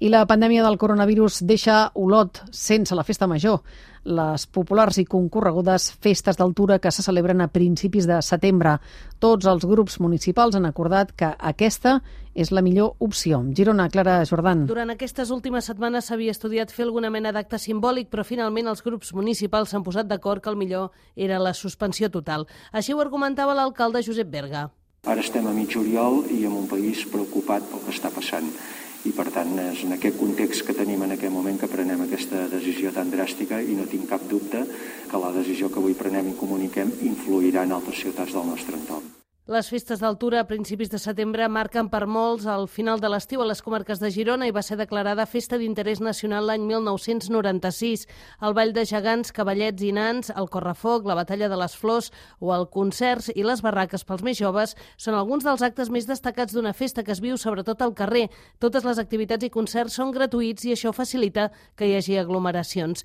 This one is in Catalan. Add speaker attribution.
Speaker 1: I la pandèmia del coronavirus deixa Olot sense la festa major. Les populars i concorregudes festes d'altura que se celebren a principis de setembre. Tots els grups municipals han acordat que aquesta és la millor opció. Girona, Clara Jordan.
Speaker 2: Durant aquestes últimes setmanes s'havia estudiat fer alguna mena d'acte simbòlic, però finalment els grups municipals s'han posat d'acord que el millor era la suspensió total. Així ho argumentava l'alcalde Josep Berga.
Speaker 3: Ara estem a mig juliol i en un país preocupat pel que està passant. I, per tant, és en aquest context que tenim en aquest moment que prenem aquesta decisió tan dràstica i no tinc cap dubte que la decisió que avui prenem i comuniquem influirà en altres ciutats del nostre entorn.
Speaker 2: Les festes d'altura a principis de setembre marquen per molts el final de l'estiu a les comarques de Girona i va ser declarada festa d'interès nacional l'any 1996. El ball de gegants, cavallets i nans, el correfoc, la batalla de les flors o el concerts i les barraques pels més joves són alguns dels actes més destacats d'una festa que es viu sobretot al carrer. Totes les activitats i concerts són gratuïts i això facilita que hi hagi aglomeracions.